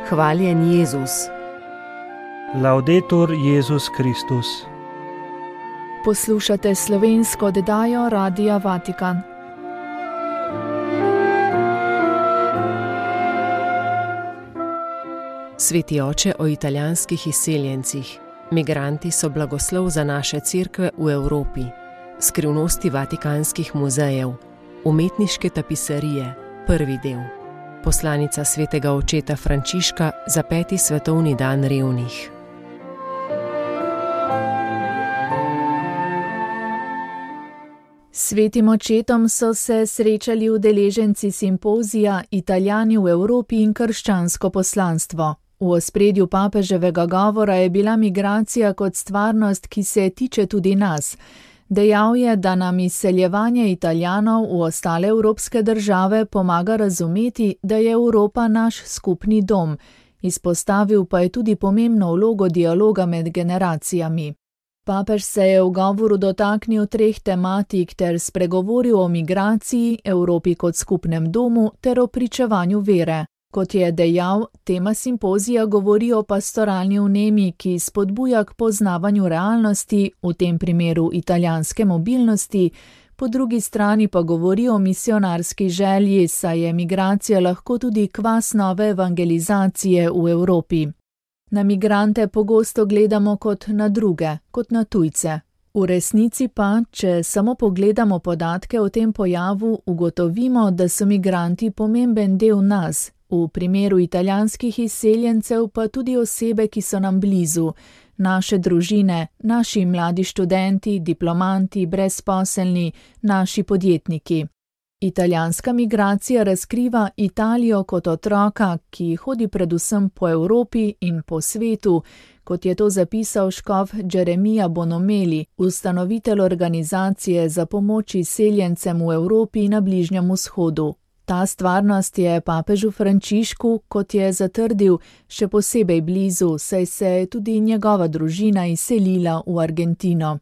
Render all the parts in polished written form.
Hvaljen Jezus. Laudetur Jezus Kristus. Poslušate slovensko oddajo Radia Vatikan. Sveti oče o italijanskih izseljencih. Migranti so blagoslov za naše cerkve v Evropi. Skrivnosti vatikanskih muzejev. Umetniške tapisarije. Prvi del. Poslanica svetega očeta Frančiška za 5. svetovni dan revnih. Svetim očetom so se srečali udeleženci simpozija Italijani v Evropi in krščansko poslanstvo. V ospredju papeževega govora je bila migracija kot stvarnost, ki se tiče tudi nas. Dejal je, da nam izseljevanje Italijanov v ostale evropske države pomaga razumeti, da je Evropa naš skupni dom. Izpostavil pa je tudi pomembno vlogo dialoga med generacijami. Papež se je v govoru dotaknil 3 tematik ter spregovoril o migraciji, Evropi kot skupnem domu ter o pričevanju vere. Kot je dejal, tema simpozija govori o pastoralni vnemi, ki spodbuja k poznavanju realnosti, v tem primeru italijanske mobilnosti, po drugi strani pa govori o misionarski želji, saj je migracija lahko tudi kvas nove evangelizacije v Evropi. Na migrante pogosto gledamo kot na druge, kot na tujce. V resnici pa, če samo pogledamo podatke o tem pojavu, ugotovimo, da so migranti pomemben del nas. V primeru italijanskih izseljencev pa tudi osebe, ki so nam blizu, naše družine, naši mladi študenti, diplomanti, brezposelni, naši podjetniki. Italijanska migracija razkriva Italijo kot otroka, ki hodi predvsem po Evropi in po svetu, kot je to zapisal škof Jeremija Bonomeli, ustanovitelj organizacije za pomoč izseljencem v Evropi in na Bližnjem vzhodu. Ta stvarnost je papežu Frančišku, kot je zatrdil, še posebej blizu, saj se je tudi njegova družina izselila v Argentino.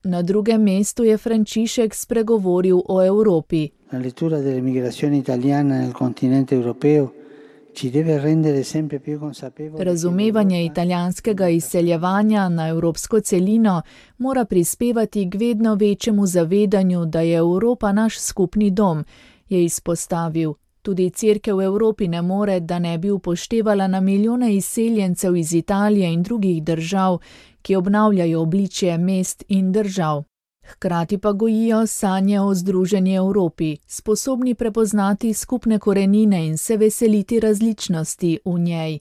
Na drugem mestu je Frančišek spregovoril o Evropi. La lettura delle migrazioni italiane nel continente europeo ci deve rendere sempre più consapevoli. Razumevanje italijanskega izseljevanja na evropsko celino mora prispevati k vedno večjemu zavedanju, da je Evropa naš skupni dom, je izpostavil. Tudi cerkev v Evropi ne more, da ne bi upoštevala na milijone izseljencev iz Italije in drugih držav, ki obnavljajo obličje mest in držav. Hkrati pa gojijo sanje o združeni Evropi, sposobni prepoznati skupne korenine in se veseliti različnosti v njej.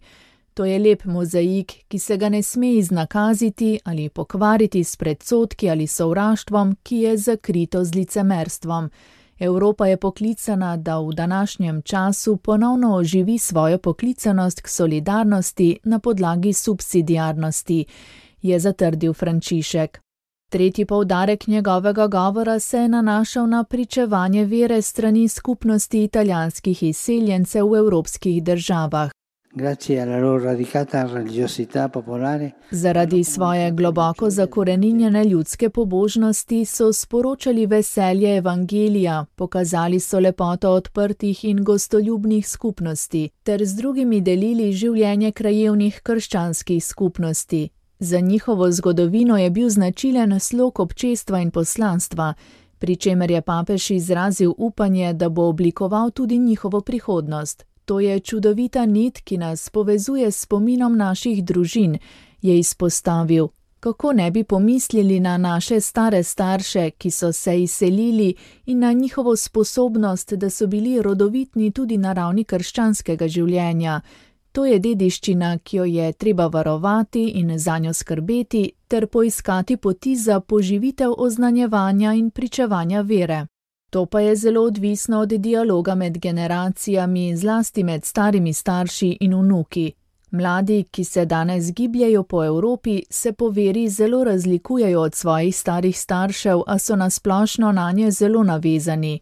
To je lep mozaik, ki se ga ne sme iznakaziti ali pokvariti s predsodki ali sovraštvom, ki je zakrito z licemerstvom. Evropa je poklicana, da v današnjem času ponovno oživi svojo poklicanost k solidarnosti na podlagi subsidiarnosti, je zatrdil Frančišek. Tretji poudarek njegovega govora se je nanašal na pričevanje vere strani skupnosti italijanskih izseljencev v evropskih državah. Zaradi svoje globoko zakoreninjene ljudske pobožnosti so sporočali veselje evangelija, pokazali so lepoto odprtih in gostoljubnih skupnosti, ter z drugimi delili življenje krajevnih krščanskih skupnosti. Za njihovo zgodovino je bil značilen slog občestva in poslanstva, pri čemer je papež izrazil upanje, da bo oblikoval tudi njihovo prihodnost. To je čudovita nit, ki nas povezuje s spominom naših družin, je izpostavil. Kako ne bi pomislili na naše stare starše, ki so se izselili, in na njihovo sposobnost, da so bili rodovitni tudi na ravni krščanskega življenja. To je dediščina, ki jo je treba varovati in zanjo skrbeti, ter poiskati poti za poživitev oznanjevanja in pričevanja vere. To pa je zelo odvisno od dialoga med generacijami, zlasti med starimi starši in vnuki. Mladi, ki se danes gibljejo po Evropi, se po veri zelo razlikujejo od svojih starih staršev, a so nasplošno nanje zelo navezani.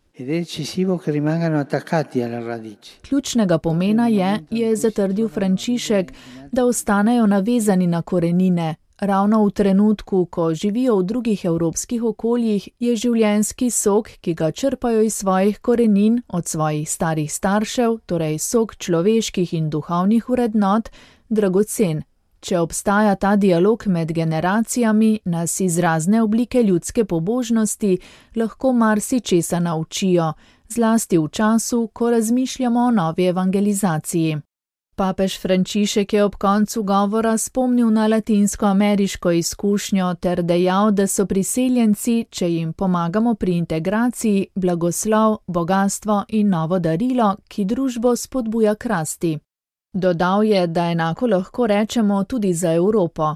Ključnega pomena je zatrdil Frančišek, da ostanejo navezani na korenine, Ravno v trenutku, ko živijo v drugih evropskih okoljih, je življenjski sok, ki ga črpajo iz svojih korenin, od svojih starih staršev, torej sok človeških in duhovnih vrednot, dragocen. Če obstaja ta dialog med generacijami, nas iz razne oblike ljudske pobožnosti lahko marsičesa naučijo, zlasti v času, ko razmišljamo o novi evangelizaciji. Papež Frančišek je ob koncu govora spomnil na latinskoameriško izkušnjo ter dejal, da so priseljenci, če jim pomagamo pri integraciji, blagoslov, bogastvo in novo darilo, ki družbo spodbuja k rasti. Dodal je, da enako lahko rečemo tudi za Evropo.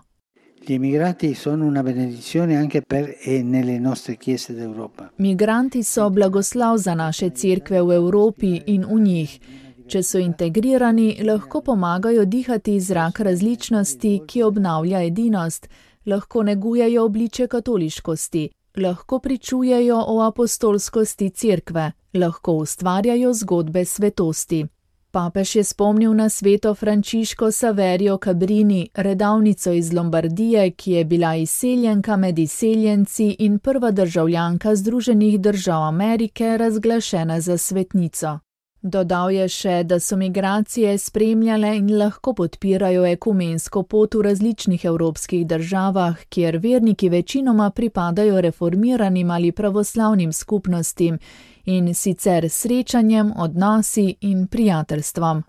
Gli immigrati sono una benedizione anche per e nelle nostre chiese d'Europa. Migranti so blagoslov za naše cerkve v Evropi in v njih. Če so integrirani, lahko pomagajo dihati zrak različnosti, ki obnavlja edinost, lahko negujejo obliče katoliškosti, lahko pričujejo o apostolskosti cerkve, lahko ustvarjajo zgodbe svetosti. Papež je spomnil na sveto Frančiško Saverio Cabrini, redavnico iz Lombardije, ki je bila izseljenka med izseljenci in prva državljanka Združenih držav Amerike, razglašena za svetnico. Dodal je še, da so migracije spremljale in lahko podpirajo ekumensko pot v različnih evropskih državah, kjer verniki večinoma pripadajo reformiranim ali pravoslavnim skupnostim, in sicer srečanjem, odnosi in prijateljstvom.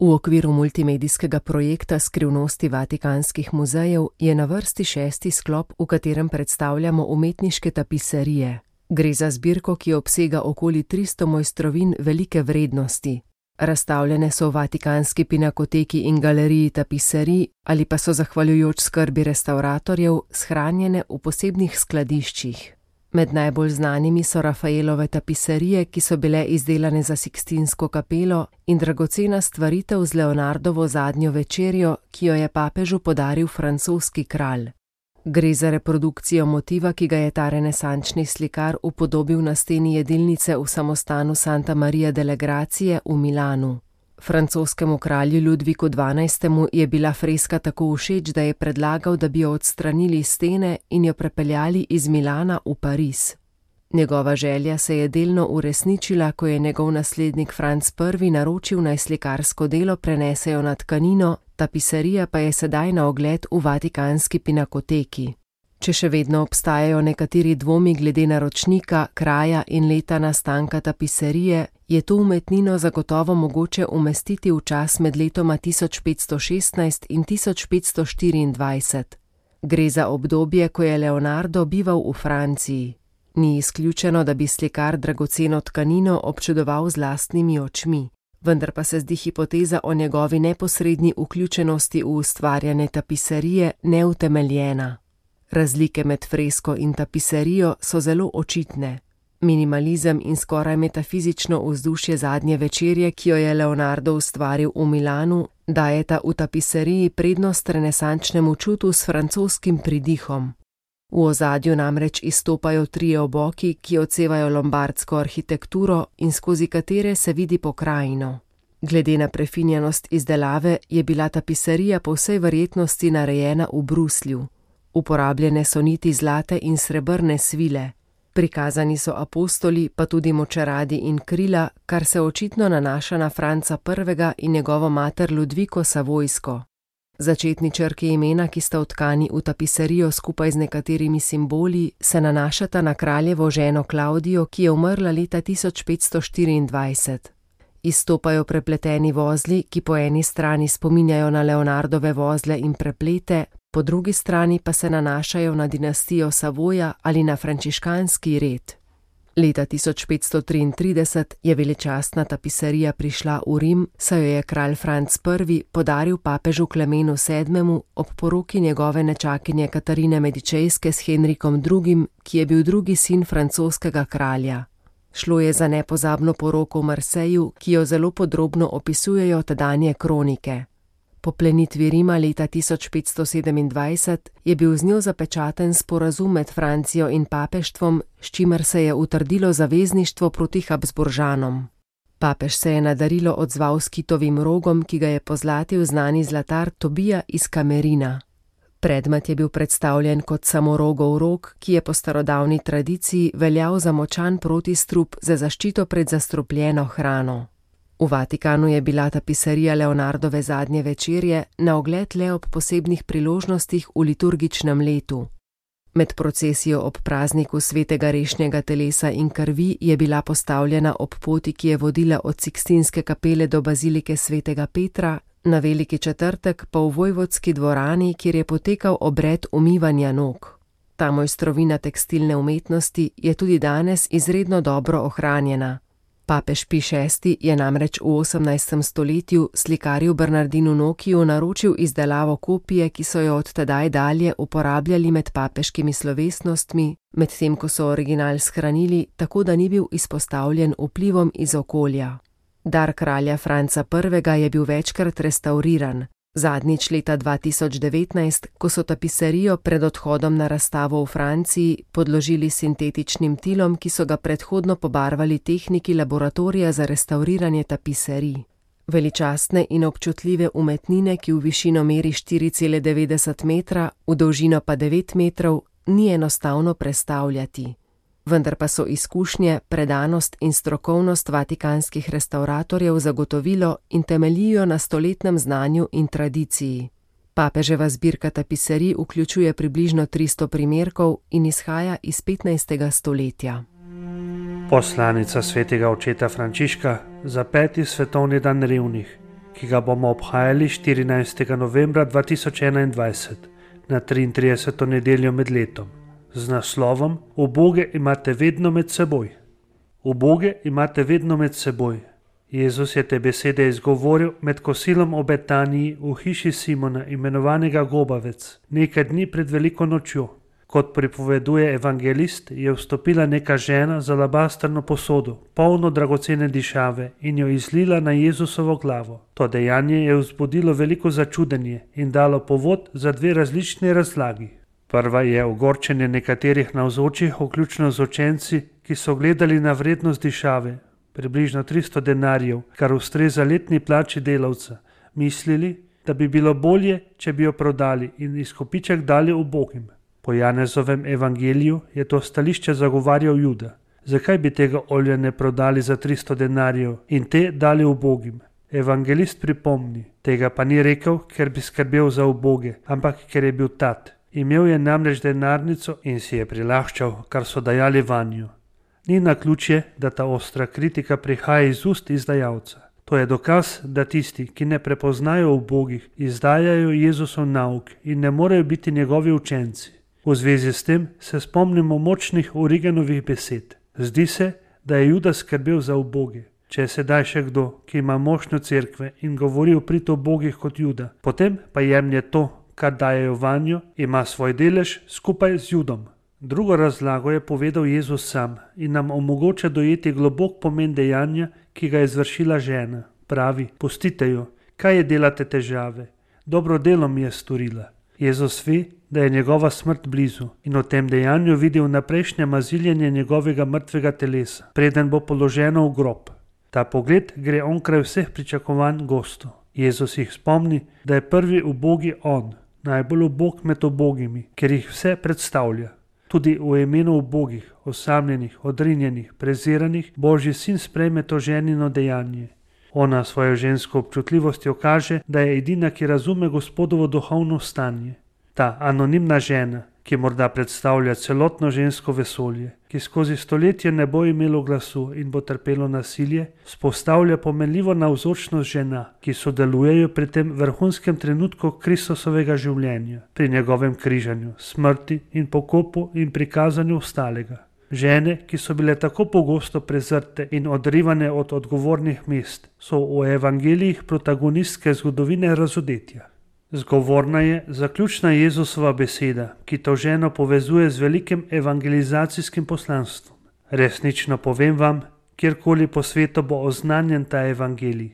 V okviru multimedijskega projekta Skrivnosti vatikanskih muzejev je na vrsti 6. sklop, v katerem predstavljamo umetniške tapiserije. Gre za zbirko, ki obsega okoli 300 mojstrovin velike vrednosti. Razstavljene so v Vatikanski pinakoteki in galeriji tapiserij ali pa so zahvaljujoč skrbi restavratorjev shranjene v posebnih skladiščih. Med najbolj znanimi so Rafaelove tapiserije, ki so bile izdelane za Sikstinsko kapelo, in dragocena stvaritev z Leonardovo zadnjo večerjo, ki jo je papežu podaril francoski kralj. Gre za reprodukcijo motiva, ki ga je ta renesančni slikar upodobil na steni jedilnice v samostanu Santa Maria delle Grazie v Milanu. Francoskemu kralju Ludviku XII. Je bila freska tako všeč, da je predlagal, da bi jo odstranili stene in jo prepeljali iz Milana v Pariz. Njegova želja se je delno uresničila, ko je njegov naslednik Franc I. naročil, naj slikarsko delo prenesejo na tkanino, tapiserija pa je sedaj na ogled v Vatikanski pinakoteki. Če še vedno obstajajo nekateri dvomi glede naročnika, kraja in leta nastanka tapiserije, je to umetnino zagotovo mogoče umestiti v čas med letoma 1516 in 1524. Gre za obdobje, ko je Leonardo bival v Franciji. Ni izključeno, da bi slikar dragoceno tkanino občudoval z lastnimi očmi, vendar pa se zdi hipoteza o njegovi neposredni vključenosti v ustvarjanje tapiserije neutemeljena. Razlike med fresko in tapiserijo so zelo očitne. Minimalizem in skoraj metafizično vzdušje zadnje večerje, ki jo je Leonardo ustvaril v Milanu, dajeta v tapiseriji prednost renesančnemu čutu s francoskim pridihom. V ozadju namreč izstopajo trije oboki, ki odsevajo lombardsko arhitekturo in skozi katere se vidi pokrajino. Glede na prefinjenost izdelave je bila tapiserija po vsej verjetnosti narejena v Bruslju. Uporabljene so niti zlate in srebrne svile. Prikazani so apostoli, pa tudi močeradi in krila, kar se očitno nanaša na Franca I. in njegovo mater Ludviko Savojsko. Začetni črki imena, ki sta vtkani v tapiserijo skupaj z nekaterimi simboli, se nanašata na kraljevo ženo Klaudijo, ki je umrla leta 1524. Izstopajo prepleteni vozli, ki po eni strani spominjajo na Leonardove vozle in preplete, po drugi strani pa se nanašajo na dinastijo Savoja ali na frančiškanski red. Leta 1533 je veličastna tapiserija prišla v Rim, saj jo je kralj Franc I. podaril papežu Klemenu VII. Ob poroki njegove nečakinje Katarine Medičejske s Henrikom II., ki je bil drugi sin francoskega kralja. Šlo je za nepozabno poroko v Marseju, ki jo zelo podrobno opisujejo tedanje kronike. Po plenitvi Rima leta 1527 je bil z njo zapečaten sporazum med Francijo in papeštvom, s čimer se je utrdilo zavezništvo proti Habsburžanom. Papež se je na darilo odzval s kitovim rogom, ki ga je pozlatil znani zlatar Tobija iz Kamerina. Predmet je bil predstavljen kot samorogov rog, ki je po starodavni tradiciji veljal za močan protistrup za zaščito pred zastrupljeno hrano. V Vatikanu je bila tapiserija Leonardove zadnje večerje na ogled le ob posebnih priložnostih v liturgičnem letu. Med procesijo ob prazniku svetega rešnjega telesa in krvi je bila postavljena ob poti, ki je vodila od Sikstinske kapele do bazilike svetega Petra, na veliki četrtek pa v vojvodski dvorani, kjer je potekal obred umivanja nog. Ta mojstrovina tekstilne umetnosti je tudi danes izredno dobro ohranjena. Papež Pij VI je namreč v 18. stoletju slikarju Bernardinu Nokiju naročil izdelavo kopije, ki so jo od tedaj dalje uporabljali med papeškimi slovesnostmi, medtem ko so original shranili, tako da ni bil izpostavljen vplivom iz okolja. Dar kralja Franca I. je bil večkrat restauriran, zadnjič leta 2019, ko so tapiserijo pred odhodom na razstavo v Franciji podložili sintetičnim tilom, ki so ga predhodno pobarvali tehniki laboratorija za restauriranje tapiserij. Veličastne in občutljive umetnine, ki v višino meri 4,90 metra, v dolžino pa 9 metrov, ni enostavno prestavljati. Vendar pa so izkušnje, predanost in strokovnost vatikanskih restavratorjev zagotovilo in temeljijo na stoletnem znanju in tradiciji. Papeževa zbirka tapiserij vključuje približno 300 primerkov in izhaja iz 15. stoletja. Poslanica svetega očeta Frančiška za 5. svetovni dan revnih, ki ga bomo obhajali 14. novembra 2021 na 33. nedeljo med letom. Z naslovom Uboge imate vedno med seboj. Uboge imate vedno med seboj. Jezus je te besede izgovoril med kosilom v Betaniji v hiši Simona, imenovanega Gobavec, nekaj dni pred veliko nočjo. Kot pripoveduje evangelist, je vstopila neka žena z alabastrno posodo, polno dragocene dišave, in jo izlila na Jezusovo glavo. To dejanje je vzbudilo veliko začudenje in dalo povod za dve različni razlagi. Prva je ogorčenje nekaterih navzočih, vključno z učenci, ki so gledali na vrednost dišave, približno 300 denarjev, kar ustreza letni plači delavca, mislili, da bi bilo bolje, če bi jo prodali in izkupiček dali ubogim. Po Janezovem evangeliju je to stališče zagovarjal Juda. Zakaj bi tega olja ne prodali za 300 denarjev in te dali ubogim? Evangelist pripomni, tega pa ni rekel, ker bi skrbel za uboge, ampak ker je bil tat. Imel je namreč denarnico in si je prilaščal, kar so dajali vanjo. Ni naključje, da ta ostra kritika prihaja iz ust izdajalca. To je dokaz, da tisti, ki ne prepoznajo ubogih, izdajajo Jezusov nauk in ne morejo biti njegovi učenci. V zvezi s tem se spomnimo močnih Origenovih besed. Zdi se, da je Juda skrbel za uboge. Če je sedaj še kdo, ki ima mošnjo cerkve in govori o prid ubogih kot Juda, potem pa jemlje to, kar dajejo vanjo, ima svoj delež skupaj z Judom. Drugo razlago je povedal Jezus sam in nam omogoča dojeti globok pomen dejanja, ki ga je izvršila žena. Pravi, pustite jo, kaj je delate težave? Dobro delo mi je storila. Jezus ve, da je njegova smrt blizu in v tem dejanju vidi vnaprejšnje maziljenje njegovega mrtvega telesa, preden bo položeno v grob. Ta pogled gre onkraj vseh pričakovanj gostov. Jezus jih spomni, da je prvi ubogi on, najbolj ubog med ubogimi, ker jih vse predstavlja. Tudi v imenu ubogih, osamljenih, odrinjenih, preziranih, Božji sin sprejme to ženino dejanje. Ona svojo žensko občutljivostjo kaže, da je edina, ki razume Gospodovo duhovno stanje. Ta anonimna žena, ki morda predstavlja celotno žensko vesolje, ki skozi stoletje ne bo imelo glasu in bo trpelo nasilje, vzpostavlja pomenljivo navzočnost žena, ki sodelujejo pri tem vrhunskem trenutku Kristusovega življenja, pri njegovem križanju, smrti in pokopu in prikazanju ostalega. Žene, ki so bile tako pogosto prezrte in odrivane od odgovornih mest, so v evangelijih protagonistke zgodovine razodetja. Zgovorna je zaključna Jezusova beseda, ki to ženo povezuje z velikim evangelizacijskim poslanstvom. Resnično povem vam, kjerkoli po svetu bo oznanjen ta evangelij,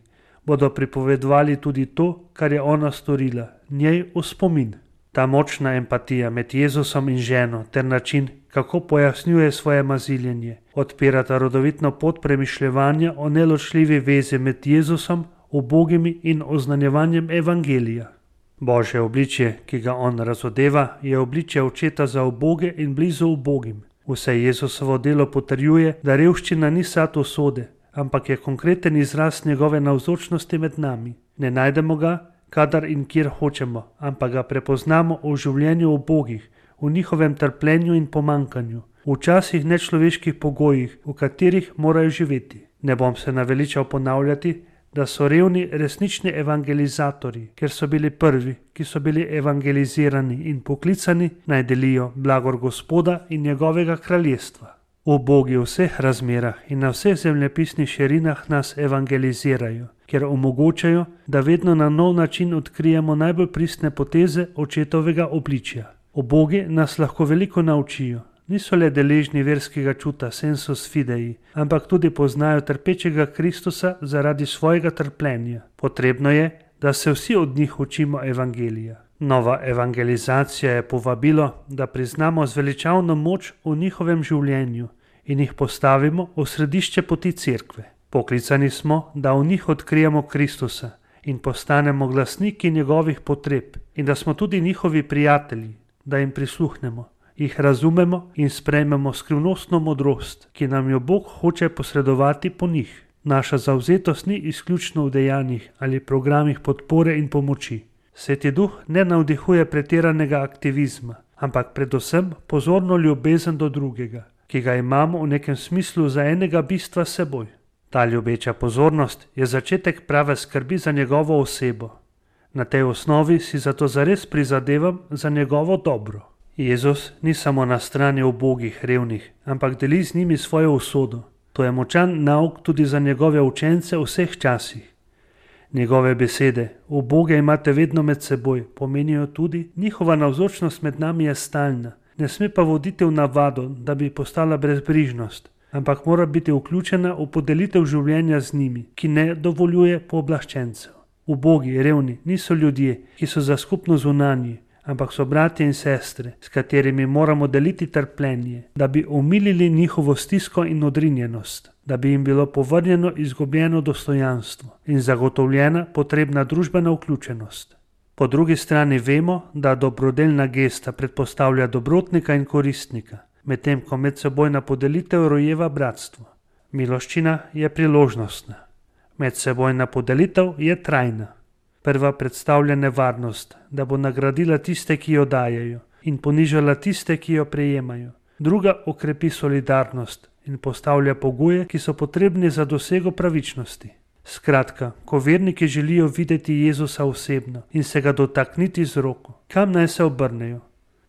bodo pripovedovali tudi to, kar je ona storila, njej v spomin. Ta močna empatija med Jezusom in ženo ter način, kako pojasnjuje svoje maziljenje, odpirata rodovitno pot premišljevanja o neločljivi vezi med Jezusom, ubogimi in oznanjevanjem evangelija. Božje obličje, ki ga on razodeva, je obličje očeta za uboge in blizu ubogim. Vse Jezusovo delo potrjuje, da revščina ni sad usode, ampak je konkreten izraz njegove navzočnosti med nami. Ne najdemo ga, kadar in kjer hočemo, ampak ga prepoznamo v življenju ubogih, v njihovem trpljenju in pomankanju, v včasih nečloveških pogojih, v katerih morajo živeti. Ne bom se naveličal ponavljati, da so revni resnični evangelizatorji, ker so bili prvi, ki so bili evangelizirani in poklicani, naj delijo blagor Gospoda in njegovega kraljestva. Ubogi v vseh razmerah in na vseh zemljepisnih širinah nas evangelizirajo, ker omogočajo, da vedno na nov način odkrijemo najbolj pristne poteze očetovega obličja. Ubogi nas lahko veliko naučijo. Niso le deležni verskega čuta sensus fidei, ampak tudi poznajo trpečega Kristusa zaradi svojega trpljenja. Potrebno je, da se vsi od njih učimo evangelija. Nova evangelizacija je povabilo, da priznamo zveličavno moč v njihovem življenju in jih postavimo v središče poti cerkve. Poklicani smo, da v njih odkrijemo Kristusa in postanemo glasniki njegovih potreb in da smo tudi njihovi prijatelji, da jim prisluhnemo, jih razumemo in sprejmemo skrivnostno modrost, ki nam jo Bog hoče posredovati po njih. Naša zavzetost ni izključno v dejanjih ali programih podpore in pomoči. Sveti Duh ne navdihuje pretiranega aktivizma, ampak predvsem pozorno ljubezen do drugega, ki ga imamo v nekem smislu za enega bistva s seboj. Ta ljubeča pozornost je začetek prave skrbi za njegovo osebo. Na tej osnovi si zato zares prizadevam za njegovo dobro. Jezus ni samo na strani ubogih, revnih, ampak deli z njimi svojo usodo. To je močan nauk tudi za njegove učence v vseh časih. Njegove besede, uboge imate vedno med seboj, pomenijo tudi, njihova navzočnost med nami je stalna. Ne sme pa voditi v navado, da bi postala brezbrižnost, ampak mora biti vključena v podelitev življenja z njimi, ki ne dovoljuje pooblaščencev. Ubogi, revni niso ljudje, ki so za skupno zunanji, ampak so bratje in sestre, s katerimi moramo deliti trpljenje, da bi omilili njihovo stisko in odrinjenost, da bi jim bilo povrnjeno izgubljeno dostojanstvo in zagotovljena potrebna družbena vključenost. Po drugi strani vemo, da dobrodelna gesta predpostavlja dobrotnika in koristnika, medtem ko medsebojna podelitev rojeva bratstvo. Miloščina je priložnostna. Medsebojna podelitev je trajna. Prva predstavlja nevarnost, da bo nagradila tiste, ki jo dajejo, in ponižala tiste, ki jo prejemajo. Druga okrepi solidarnost in postavlja pogoje, ki so potrebni za dosego pravičnosti. Skratka, ko verniki želijo videti Jezusa osebno in se ga dotakniti z roko, kam naj se obrnejo?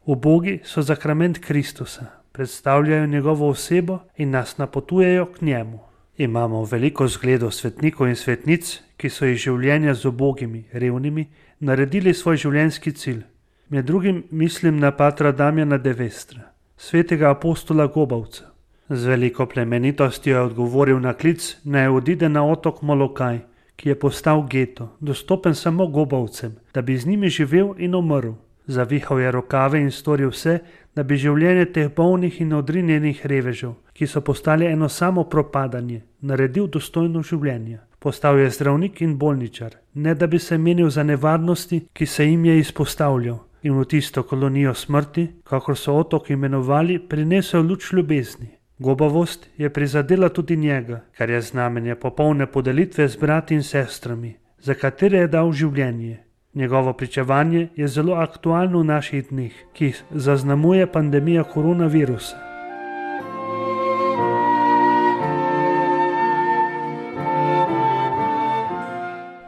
Ubogi so zakrament Kristusa, predstavljajo njegovo osebo in nas napotujejo k njemu. Imamo veliko zgledov svetnikov in svetnic, ki so iz življenja z ubogimi, revnimi, naredili svoj življenjski cilj. Med drugim mislim na patra Damjana de Vestra, svetega apostola Gobavca. Z veliko plemenitostjo je odgovoril na klic, naj odide na otok Molokaj, ki je postal geto, dostopen samo Gobavcem, da bi z njimi živel in umrl. Zavihal je rokave in storil vse, da bi življenje teh bolnih in odrinjenih revežev, ki so postali eno samo propadanje, naredil dostojno življenje. Postal je zdravnik in bolničar, ne da bi se menil za nevarnosti, ki se jim je izpostavljal, in v tisto kolonijo smrti, kakor so otok imenovali, prinesel luč ljubezni. Gobavost je prizadela tudi njega, kar je znamenje popolne podelitve z brati in sestrami, za katere je dal življenje. Njegovo pričevanje je zelo aktualno v naših dneh, ki jih zaznamuje pandemija koronavirusa.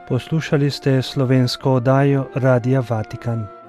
Poslušali ste slovensko oddajo Radia Vatikan.